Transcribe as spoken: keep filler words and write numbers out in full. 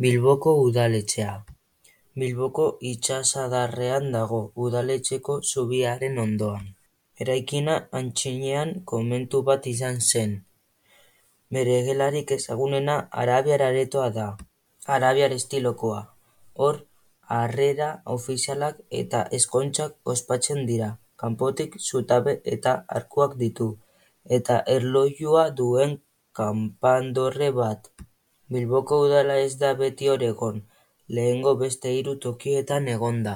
Bilboko udaletxea. Bilboko itsasadarrean dago, udaletxeko zubiaren ondoan. Eraikina antzinian komentu bat izan zen. Bere gelarik ezagunena Arabiar Aretoa da, arabiar estilokoa. Hor, harrera ofizialak eta ezkontzak ospatzen dira. Kanpotik zutabe eta arkuak ditu, eta erlojua duen kanpandorre bat. Bilboko udala ez da beti hor egon, lehengo beste hiru tokietan egon da.